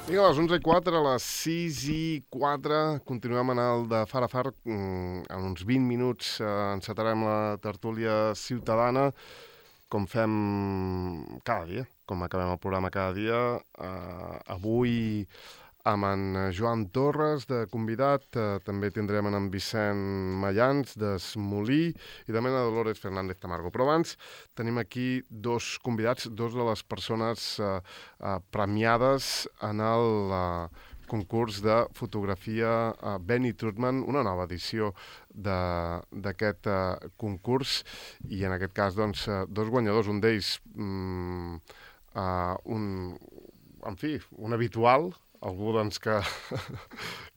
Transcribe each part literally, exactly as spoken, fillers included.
Vinga, a les onze i quatre, a les sis i quatre, continuem en el de Far a Far. En uns vint minuts eh, encetarem la tertúlia ciutadana, com fem cada dia, com acabem el programa cada dia. Eh, avui amb en Joan Torres de convidat, eh, també tindrem en Vicent Mayans d'Esmolí i també en Dolores Fernández Tamargo. Però abans tenim aquí dos convidats, dos de les persones eh, eh, premiades en el eh, concurs de fotografia eh, Benny Trutman, una nova edició d'aquest eh, concurs, i en aquest cas doncs, eh, dos guanyadors, un d'ells mm, eh, un, en fi, un habitual, algú doncs, que,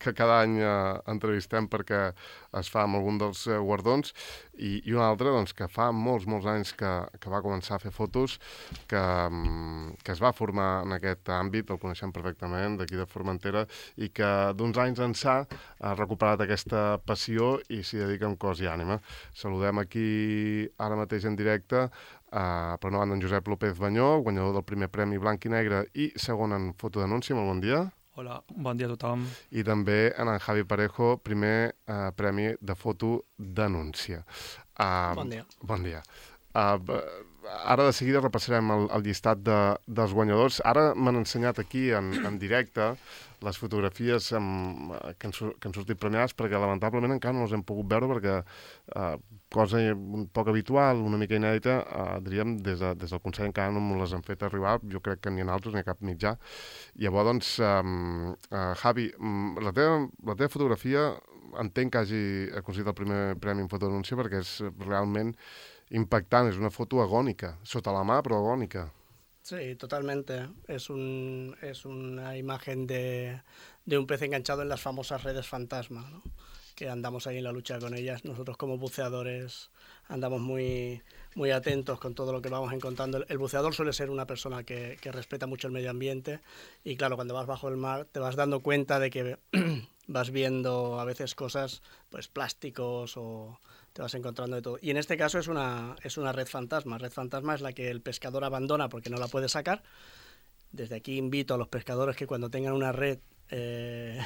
que cada any eh, entrevistem perquè es fa amb algun dels eh, guardons, i, i un altre doncs, que fa molts, molts anys que, que va començar a fer fotos, que, que es va formar en aquest àmbit, el coneixem perfectament, d'aquí de Formentera, i que d'uns anys ençà ha recuperat aquesta passió i s'hi dedica amb cos i ànima. Saludem aquí ara mateix en directe Uh, per una banda, en Josep López Banyó, guanyador del primer premi Blanc i Negre i segon en fotodenúncia. Molt bon dia. Hola, bon dia a tothom. I també en, en Javi Parejo, primer uh, premi de fotodenúncia. Uh, bon dia. Bon dia. Uh, ara de seguida repassarem el, el llistat de, dels guanyadors. Ara m'han ensenyat aquí en, en directe les fotografies amb, que, han, que han sortit premiades, perquè lamentablement encara no les hem pogut veure perquè, eh, cosa un poc habitual, una mica inèdita, eh, diríem, des, de, des del Consell encara no me les han fet arribar, jo crec que ni en altres ni a cap mitjà. Llavors, doncs, eh, eh, Javi, la teva, la teva fotografia entenc que hagi aconseguit el primer premi en fotodenúncia perquè és realment impactant, és una foto agònica, sota la mà però agònica. Sí, totalmente. Es, un, es una imagen de, de un pez enganchado en las famosas redes fantasma, ¿no? Que andamos ahí en la lucha con ellas. Nosotros como buceadores andamos muy, muy atentos con todo lo que vamos encontrando. El, el buceador suele ser una persona que, que respeta mucho el medio ambiente y claro, cuando vas bajo el mar te vas dando cuenta de que vas viendo a veces cosas, pues plásticos o... te vas encontrando de todo. Y en este caso es una, es una red fantasma. Red fantasma es la que el pescador abandona porque no la puede sacar. Desde aquí invito a los pescadores que cuando tengan una red eh,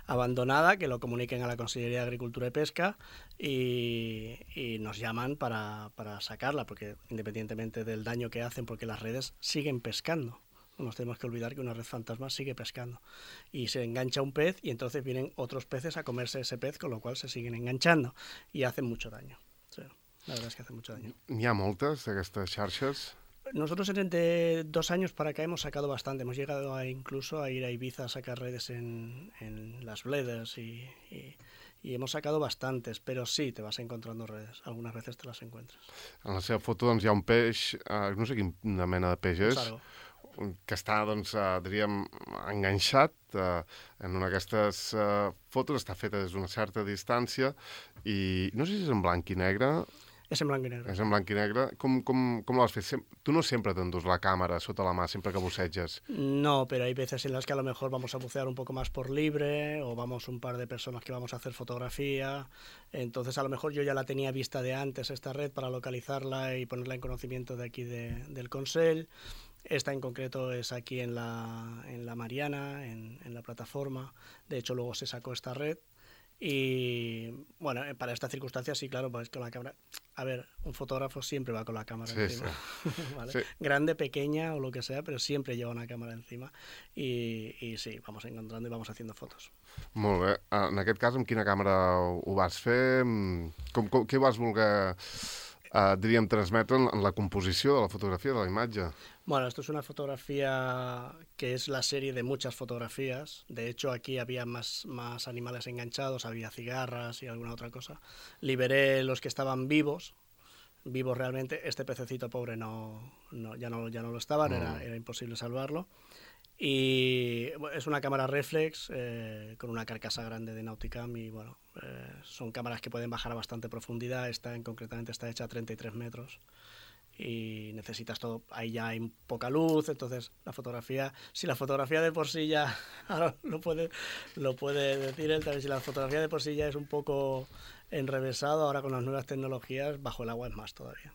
abandonada, que lo comuniquen a la Consellería de Agricultura y Pesca y, y nos llaman para, para sacarla, porque independientemente del daño que hacen, porque las redes siguen pescando. No nos tenemos que olvidar que una red fantasma sigue pescando y se engancha un pez y entonces vienen otros peces a comerse ese pez, con lo cual se siguen enganchando y hacen mucho daño. Sí, la verdad es que hacen mucho daño. N'hi ha moltes d'aquestes xarxes? Nosotros entre dos años para acá hemos sacado bastante. Hemos llegado a, incluso a ir a Ibiza a sacar redes en, en las Bledes y, y, y hemos sacado bastantes, però sí, te vas encontrando redes. Algunes veces te las encuentres. En la seva foto doncs, hi ha un peix, eh, no sé quina mena de peix és, que està, doncs, eh, diríem, enganxat eh, en una d'aquestes eh, fotos, està feta des d'una certa distància i no sé si és en blanc i negre. És en blanc i negre. És en blanc i negre. Com, com, com l'has fet? Sem tu no sempre t'endús la càmera sota la mà, sempre que buceges. No, pero hay veces en las que a lo mejor vamos a bucear un poco más por libre o vamos un par de personas que vamos a hacer fotografía. Entonces a lo mejor yo ya la tenía vista de antes esta red para localizarla y ponerla en conocimiento de aquí de, del Consell. Esta en concreto es aquí en la, en la Mariana, en, en la plataforma. De hecho, luego se sacó esta red. Y bueno, para esta circunstancia sí, claro, pues con la cámara. A ver, un fotógrafo siempre va con la cámara sí, encima. Sí. ¿Vale? Sí. Grande, pequeña o lo que sea, pero siempre lleva una cámara encima. Y, y sí, vamos encontrando y vamos haciendo fotos. Molt bé. En aquest cas, amb quina càmera ho vas fer? Com, com, què vas voler... Uh, diríem, transmetre en la composició de la fotografia, de la imatge. Bueno, esto es una fotografía que es la serie de muchas fotografías. De hecho, aquí había más, más animales enganchados, había cigarras y alguna otra cosa. Liberé los que estaban vivos, vivos realmente. Este pececito pobre no, no, ya, no, ya no lo estaban, mm. era, era imposible salvarlo. Y es una cámara reflex eh, con una carcasa grande de Nauticam y bueno, eh, son cámaras que pueden bajar a bastante profundidad. Esta en concretamente está hecha a treinta y tres metros y necesitas todo, ahí ya hay poca luz, entonces la fotografía, si la fotografía de por sí ya, ahora lo puede, lo puede decir él también, si la fotografía de por sí ya es un poco enrevesado, ahora con las nuevas tecnologías bajo el agua es más todavía.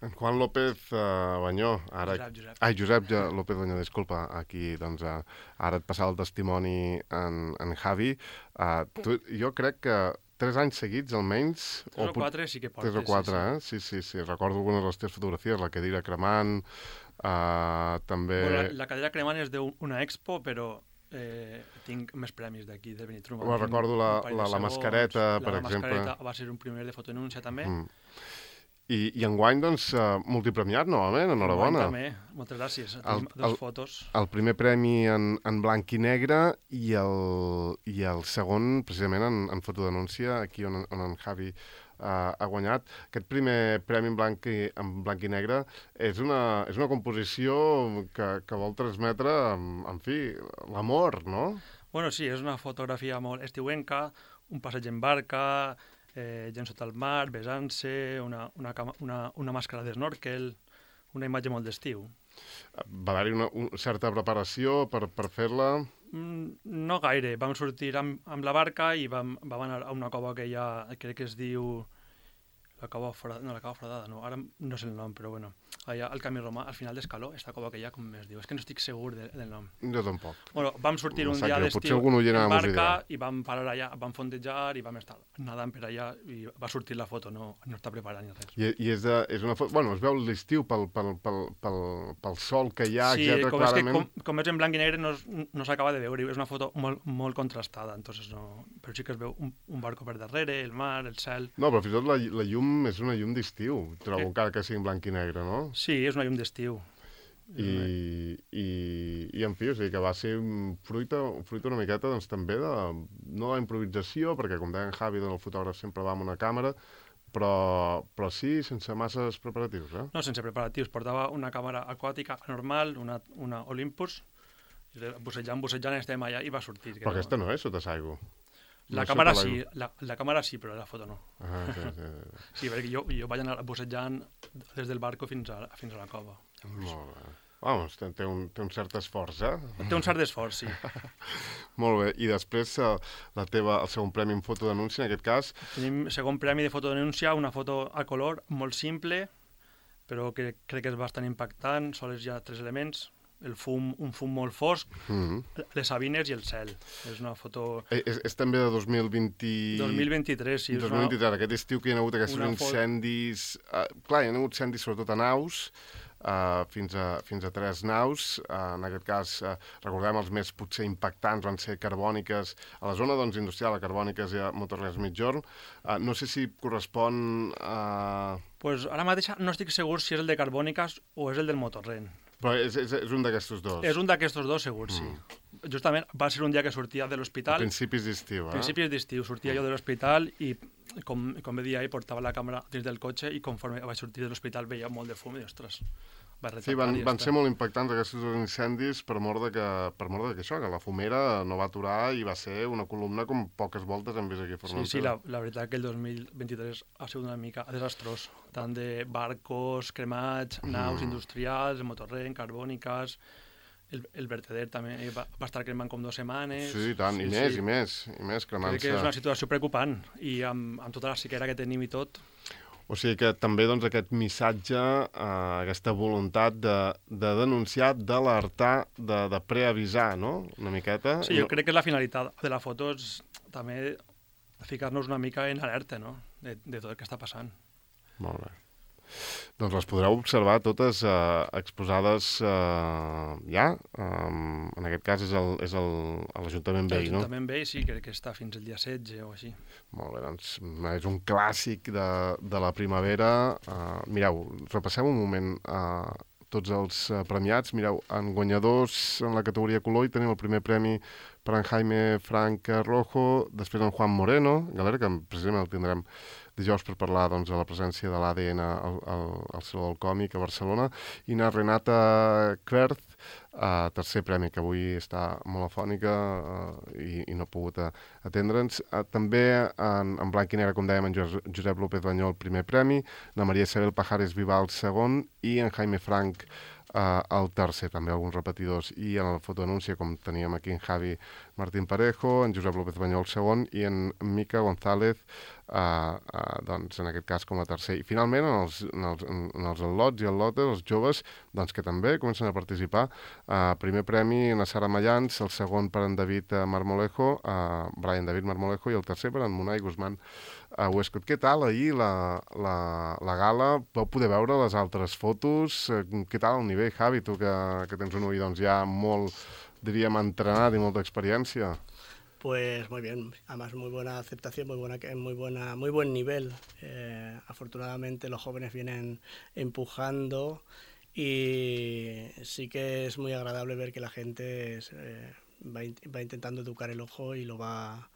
En Juan López uh, Banyó, ara... Josep, Josep. Ai, Josep ja, López Banyó, disculpa, aquí, doncs, uh, ara et passava el testimoni en, en Javi. Uh, tu, jo crec que tres anys seguits, almenys... Tres o, o quatre sí que portes. Tres o quatre, sí, eh? Sí, sí, sí. Recordo algunes de les teves fotografies, la cadira cremant, uh, també... Bueno, la, la cadira cremant és d'una expo, però eh, tinc més premis d'aquí, de Benitrum. Bueno, recordo la, la, la mascareta, la, per la exemple. La mascareta va ser un primer de fotonúncia, també. Mm. I, I enguany, doncs, uh, multipremiat, novament, enhorabona. Enguany també, moltes gràcies. El, Tenim dos el, fotos. El primer premi en, en blanc i negre i el, i el segon, precisament, en, en fotodenúncia, aquí on, on en Javi uh, ha guanyat. Aquest primer premi en blanc i, en blanc i negre és una, és una composició que, que vol transmetre, en, en fi, l'amor, no? Bueno, sí, és una fotografia molt estiuenca, un passeig en barca... Eh, gent sota el mar, besant-se, una, una, una, una màscara d'esnorkel, una imatge molt d'estiu. Va haver-hi una, una certa preparació per, per fer-la? Mm, no gaire. Vam sortir amb, amb la barca i vam, vam anar a una cova que hi ha, crec que es diu... La cova foradada, no, la cova foradada, no, ara no sé el nom, però bueno, allà al Camí Romà, al final d'Escaló, esta cova que hi ha, com es diu? És que no estic segur de, del nom. Jo tampoc. Bueno, vam sortir no un dia d'estiu en barca i vam parar allà, vam fondejar i vam estar nadant per allà i va sortir la foto, no, no està preparant ni res. I, i és, de, és una foto... Bueno, es veu l'estiu pel, pel, pel, pel, pel sol que hi ha, sí, etcètera, com clarament. És que com, com és en blanc i negre no, no s'acaba de veure, és una foto molt, molt contrastada, entonces no... però sí que es veu un, un barco per darrere, el mar, el cel... No, però fins i tot la, la llum és una llum d'estiu, trobo, eh? encara que sigui en blanc i negre, no? Sí, és una llum d'estiu. I, i, i en fi, o sigui que va ser fruit, fruit una miqueta doncs, també de, no de improvisació, perquè com deia en Javi, doncs, el fotògraf sempre va amb una càmera, però, però sí sense masses preparatius, eh? No, sense preparatius. Portava una càmera aquàtica normal, una, una Olympus, i bussejant, bussejant estem allà i va sortir. Però aquesta no és sota s'aigua. La no càmera sí, la, la càmera sí, però la foto no. Ah, sí, sí, sí. Sí, perquè jo, jo vaig anar bussejant des del barco fins a, fins a la cova. Molt bé. Vamos, té, té, un, té un cert esforç, eh? Té un cert esforç, sí. Molt bé. I després, uh, la teva, el segon premi en fotodenúncia, en aquest cas... Tenim segon premi de fotodenúncia, una foto a color molt simple, però que crec que és bastant impactant. Sols hi ha tres elements. El fum, un fum molt fosc, mm-hmm. les sabines i el cel. És una foto... Eh, és, és també de dos mil vint... dos mil vint-i-tres, sí. dos mil vint-i-tres, una... aquest estiu que hi ha hagut aquests incendis... Fot... Uh, clar, hi ha hagut incendis sobretot a naus, uh, fins, a, fins a tres naus. Uh, en aquest cas, uh, recordem, els més potser impactants van ser Carbòniques. A la zona doncs, industrial, a Carbòniques i a Motorrens Migjorn. Uh, no sé si correspon a... Uh... Pues ara mateix no estic segur si és el de Carbòniques o és el del Motorren. Però és, és, és un d'aquestos dos. És un d'aquestos dos, segur, sí. Mm. Justament va ser un dia que sortia de l'hospital. Principis d'estiu, eh? Principis d'estiu. Sortia mm. jo de l'hospital i, com, com bé dia ahir, portava la càmera dins del cotxe i conforme vaig sortir de l'hospital veia molt de fum i, ostres, va sí, van, van ser molt impactants aquests dos incendis per mort de que, per mort de que això, que la fumera no va aturar i va ser una columna com poques voltes hem vist aquí a Formentera. Sí, sí, la, la veritat que el dos mil vint-i-tres ha sigut una mica desastrós. Tant de barcos, cremats, naus mm. industrials, Motorren, Carbòniques... El, el verteder també va, va estar cremant com dues setmanes. Sí, tant, sí, i més, sí. i més, i més cremant-se. Crec que és una situació preocupant i amb, amb tota la sequera que tenim i tot. O sigui que també doncs, aquest missatge, eh, aquesta voluntat de, de denunciar, d'alertar, de, de preavisar, no?, una miqueta. Sí, jo crec que la finalitat de la foto és també ficar-nos una mica en alerta, no?, de, de tot el que està passant. Molt bé. Doncs les podreu observar totes eh, exposades eh, ja. Um, en aquest cas és, el, és el, l'Ajuntament Vell, no? L'Ajuntament Vell, sí, crec que està fins el dia setze o així. Molt bé, doncs és un clàssic de, de la primavera. Uh, mireu, repassem un moment uh, tots els uh, premiats. Mireu, en guanyadors en la categoria color hi tenim el primer premi per en Jaime Frank Rojo, després en Juan Moreno, Galera, que precisament el tindrem dijous per parlar doncs, de la presència de l'A D N al, al, al Saló del Còmic a Barcelona, i na Renata Querth, uh, tercer premi, que avui està molt afònica uh, i, i no ha pogut atendre'ns. Uh, també en, en blanc i negre, com dèiem, en Josep López Banyó el primer premi, na Maria Isabel Pajares Vival el segon, i en Jaime Frank uh, el tercer, també alguns repetidors, i en el fotoanunci, com teníem aquí en Javi Martín Parejo, en Josep López Banyol el segon, i en Mica González, uh, uh, doncs en aquest cas com a tercer. I finalment, en els, en els, en els al·lots i al·lotes, els joves, doncs que també comencen a participar. Uh, primer premi en Sara Mayans, el segon per en David Marmolejo, uh, Brian David Marmolejo, i el tercer per en Munai Guzmán a Westcott. Què tal ahir la, la, la gala? Vau poder veure les altres fotos? Què tal el nivell, Javi, tu que, que tens un ull doncs, ja molt, diríem, entrenat y mucha experiencia? Pues muy bien, además muy buena aceptación, muy buena, muy buena, muy buen nivel. Eh, afortunadamente los jóvenes vienen empujando y sí que es muy agradable ver que la gente eh, va, va intentando educar el ojo y lo va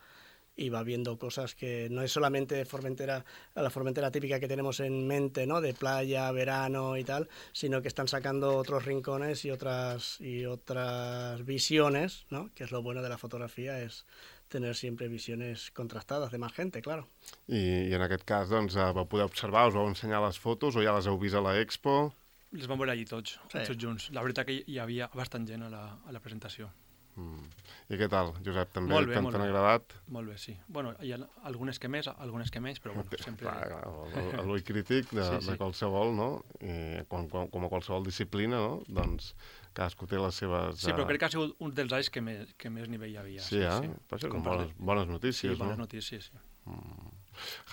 y va viendo cosas que no es solamente Formentera, la Formentera típica que tenemos en mente, ¿no? De playa, verano y tal, sino que están sacando otros rincones y otras y otras visiones, ¿no? Que es lo bueno de la fotografía, es tener siempre visiones contrastadas de más gente, claro. I, i en aquest cas, doncs, vau poder observar, us vau ensenyar les fotos o ja les heu vist a l'Expo? Les vam veure allí tots, sí. tots junts. La veritat que hi havia bastant gent a la, a la presentació. Mm. I què tal, Josep? També molt bé, t'han molt bé. agradat? Molt bé, sí. Bueno, hi ha algunes que més, algunes que menys, però bueno, sempre... Clar, l'ull crític de, sí, sí. de qualsevol, no? I com, com, com a qualsevol disciplina, no? Doncs cadascú té les seves... Sí, però crec que ha sigut un dels anys que més, que més nivell hi havia. Sí, sí eh? Sí. Però això són bones, bones notícies, sí, bones no? notícies, sí. Mm.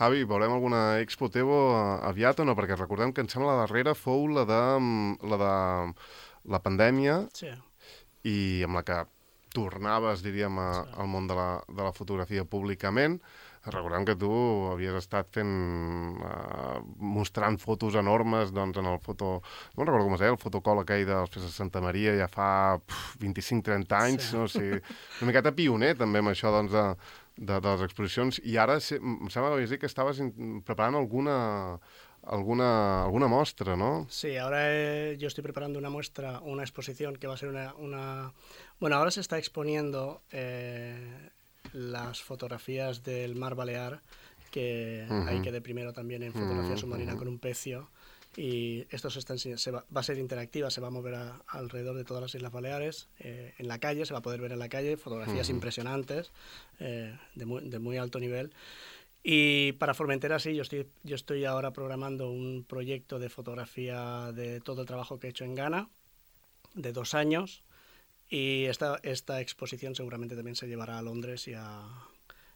Javi, veurem alguna Expo Tebo aviat o no? Perquè recordem que em sembla la darrera fou la de la, de, la pandèmia, sí. I amb la que tornaves, diríem, a, sí. al món de la, de la fotografia públicament. Recordem que tu havies estat fent, uh, mostrant fotos enormes doncs, en el foto... No recordo com es deia, el fotocol aquell dels Fes de Santa Maria ja fa vint-i-cinc trenta anys, sí. No? O sigui, una miqueta pioner també amb això doncs, de, de, de les exposicions. I ara em sembla que dir que estaves preparant alguna... Alguna, alguna muestra, ¿no? Sí, ahora eh, yo estoy preparando una muestra, una exposición que va a ser una... una... Bueno, ahora se está exponiendo eh, las fotografías del Mar Balear, que uh-huh. ahí quedé primero también en fotografía uh-huh. submarina con un pecio, y esto se, está, se va, va a ser interactiva, se va a mover a, alrededor de todas las Islas Baleares, eh, en la calle, se va a poder ver en la calle, fotografías uh-huh. impresionantes, eh, de, muy, de muy alto nivel. Y para Formentera sí, yo estoy, yo estoy ahora programando un proyecto de fotografía de todo el trabajo que he hecho en Ghana, de dos años, y esta, esta exposición seguramente también se llevará a Londres y a,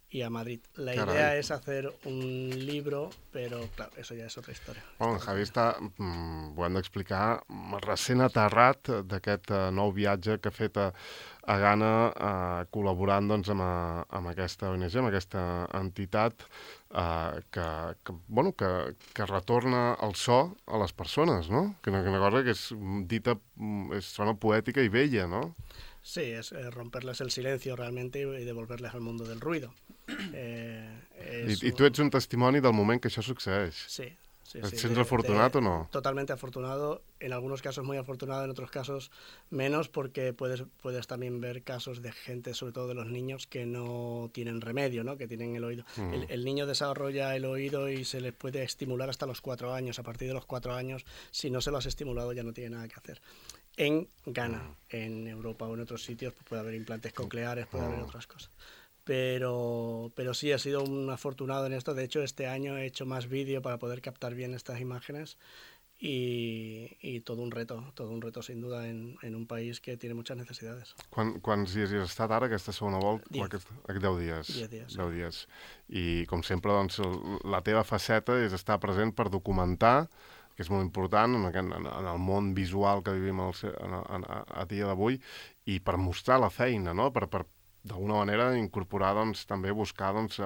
y a Madrid. La Carai. idea es hacer un libro, però, clar, eso ja és otra història. Bueno, Javi està, mm, ho hem d'explicar, recent aterrat d'aquest uh, nou viatge que ha fet a, a Ghana, uh, col·laborant doncs, amb, a, amb aquesta O N G, amb aquesta entitat uh, que, que, bueno, que, que retorna el so a les persones, no? Que una, una cosa que és dita, és, sona poètica i bella, no? Sí, es eh, romperles el silencio realmente y devolverles al mundo del ruido. Eh, I, I tu ets un testimoni del moment que això succeeix. Sí, sí. ¿Et sí, sents de, afortunat de, o no? Totalmente afortunado, en algunos casos muy afortunado, en otros casos menos, porque puedes, puedes también ver casos de gente, sobre todo de los niños, que no tienen remedio, ¿no? Que tienen el oído. Mm. El, el niño desarrolla el oído y se le puede estimular hasta los cuatro años. A partir de los cuatro años, si no se lo has estimulado, ya no tiene nada que hacer. En Ghana, mm. en Europa o en otros sitios pues puede haber implantes cocleares, puede mm. haber otras cosas. Pero, pero sí, he sido un afortunado en esto. De hecho, este año he hecho más vídeo para poder captar bien estas imágenes y, y todo un reto, todo un reto sin duda en, en un país que tiene muchas necesidades. Quan, quants dies hi has estat ara, aquesta segona volta? Diez. Deu dies. Diez dies. Deu dies. I com sempre, doncs, la teva faceta és estar present per documentar, que és molt important en, aquest, en el món visual que vivim al, en, en, a, a dia d'avui, i per mostrar la feina, no? Per, per d'alguna manera incorporar, doncs, també buscar doncs,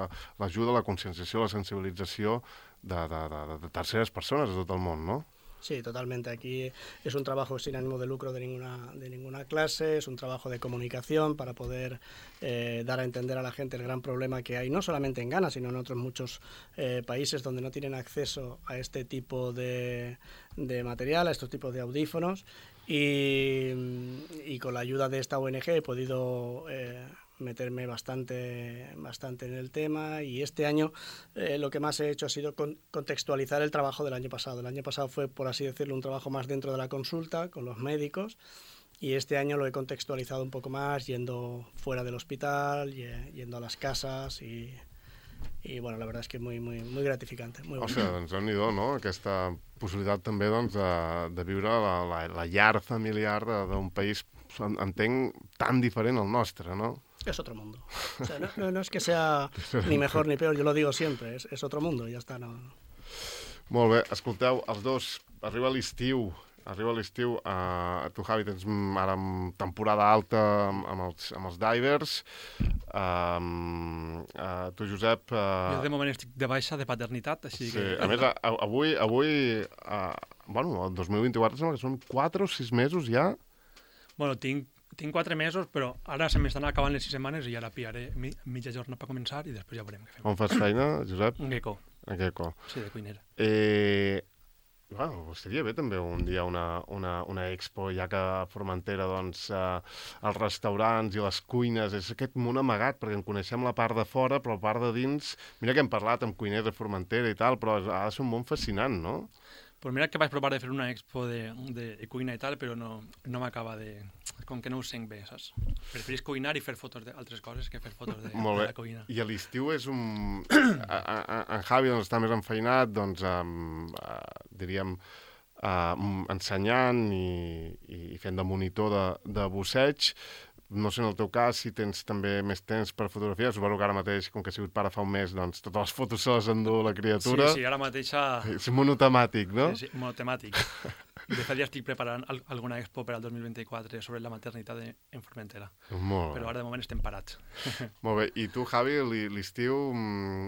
l'ajuda, la conscienciació, la sensibilització de, de, de, de terceres persones de tot el món, no? Sí, totalmente. Aquí es un trabajo sin ánimo de lucro de ninguna, de ninguna clase, es un trabajo de comunicación para poder eh, dar a entender a la gente el gran problema que hay, no solamente en Ghana, sino en otros muchos eh, países donde no tienen acceso a este tipo de, de material, a estos tipos de audífonos. Y, y con la ayuda de esta O N G he podido eh, meterme bastante, bastante en el tema, y este año eh, lo que más he hecho ha sido con, contextualizar el trabajo del año pasado. El año pasado fue, por así decirlo, un trabajo más dentro de la consulta, con los médicos, y este año lo he contextualizado un poco más, yendo fuera del hospital, yendo a las casas, y, i bueno, la veritat és que muy, muy, muy gratificante. Muy o sigui, doncs déu-n'hi-do, no? Aquesta possibilitat també doncs, de, de viure la, la, la llar familiar d'un país, entenc, tan diferent al nostre, no? Es otro mundo. O sea, no, no, no es que sea ni mejor ni peor, yo lo digo siempre, es, es otro mundo, ya está. No. Molt bé, escolteu, els dos, arriba l'estiu, arriba l'estiu, uh, tu, Javi, tens ara temporada alta amb, amb, els, amb els divers, um, uh, tu, Josep... Uh, jo de moment estic de baixa de paternitat, així sí, que... A més, a, avui, avui uh, bueno, el dos mil vint-i-quatre sembla que són quatre o sis mesos ja. Bueno, tinc, tinc quatre mesos, però ara se m'estan acabant les sis setmanes i ara pillaré mi, mitja jornada per començar i després ja veurem què fem. On fas feina, Josep? Un gecko. Un gecko. Sí, de cuinera. Eh... Bueno, estaria bé també un dia una, una, una expo, ja que a Formentera doncs, eh, els restaurants i les cuines és aquest món amagat, perquè en coneixem la part de fora, però la part de dins... Mira que hem parlat amb cuiners de Formentera i tal, però ha de ser un món fascinant, no? Pues mira que vaig provar de fer una expo de, de, de cuina i tal, però no, no m'acaba de... Com que no ho sent bé, saps? Preferís cuinar i fer fotos d'altres coses que fer fotos de, de la cuina. I a l'estiu és un... a, a, en Javi doncs, està més enfeinat, doncs, um, uh, diríem, uh, ensenyant i, i fent de monitor de, de busseig. No sé, en el teu cas, si tens també més temps per fotografia. Suposo que ara mateix, com que ha sigut pare fa un mes, doncs totes les fotos se les endú la criatura. Sí, sí, ara mateixa... És monotemàtic, no? Sí, sí, monotemàtic. De fet, ja estic preparant alguna expo per al dos mil vint-i-quatre sobre la maternitat en Formentera. Molt bé. Però ara de moment estem parats. Molt bé. I tu, Javi, l'estiu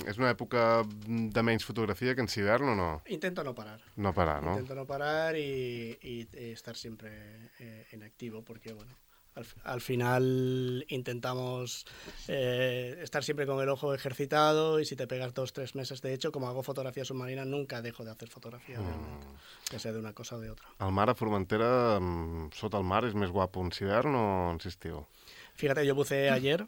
és una època de menys fotografia que en hivern o no? Intento no parar. No parar, ¿no? Intento no parar y, y estar siempre eh, en activo, porque, bueno, Al, al final intentamos eh, estar siempre con el ojo ejercitado, y si te pegas dos, tres meses, de hecho, como hago fotografía submarina, nunca dejo de hacer fotografía, realmente, mm. ya sea de una cosa o de otra. El mar a Formentera, sota el mar, és més guapo en hivern o en estiu? Fíjate, yo buceé ayer,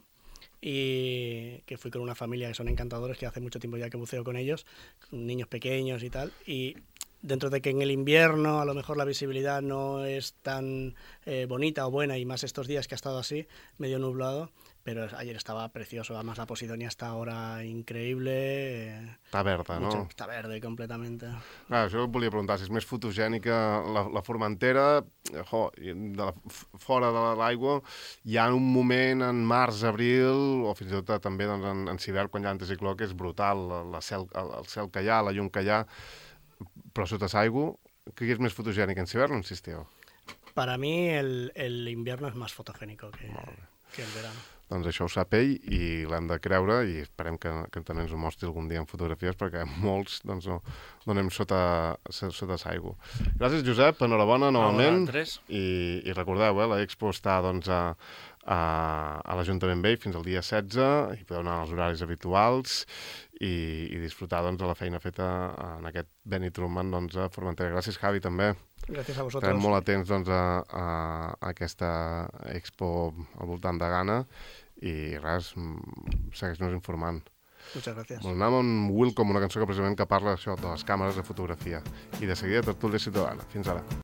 y que fui con una familia que son encantadores, que hace mucho tiempo ya que buceo con ellos, con niños pequeños y tal, y dentro de que en el invierno a lo mejor la visibilidad no es tan eh, bonita o buena, y más estos días que ha estado así, medio nublado, pero ayer estaba precioso. Además la Posidonia está ahora increïble. Eh, està verda, mucho, no? Està verde, completamente. Ah, això et volia preguntar, si és més fotogènica la, la Formentera, jo, de la, fora de l'aigua, hi ha un moment en març, abril, o fins i tot també doncs, en, en hivern, quan hi ha anticicló, que és brutal, la, la cel, el, el cel que hi ha, la llum que hi ha, però sota l'aigua, què és més fotogènic, en hivern o en estiu? Para mí el, el invierno es más fotogénico que, que el verano. Doncs això ho sap ell i l'hem de creure, i esperem que, que també ens ho mostri algun dia en fotografies, perquè molts doncs, no, no anem sota, sota l'aigua. Gràcies, Josep, enhorabona novament. I, i recordeu, eh, l'expo està doncs, a, a, a l'Ajuntament Vell fins al dia setze, i podeu anar als horaris habituals i, i disfrutar doncs, de la feina feta en aquest Benny Truman doncs, a Formentera. Gràcies, Javi, també. Gràcies a vosaltres. Estarem molt atents doncs, a, a, a aquesta expo al voltant de Ghana, i res, segueix-nos informant. Muchas gracias. Bueno, anem amb Welcome, una cançó que precisament que parla això, de les càmeres de fotografia. I de seguida, Tertúlia Ciutadana. Fins ara.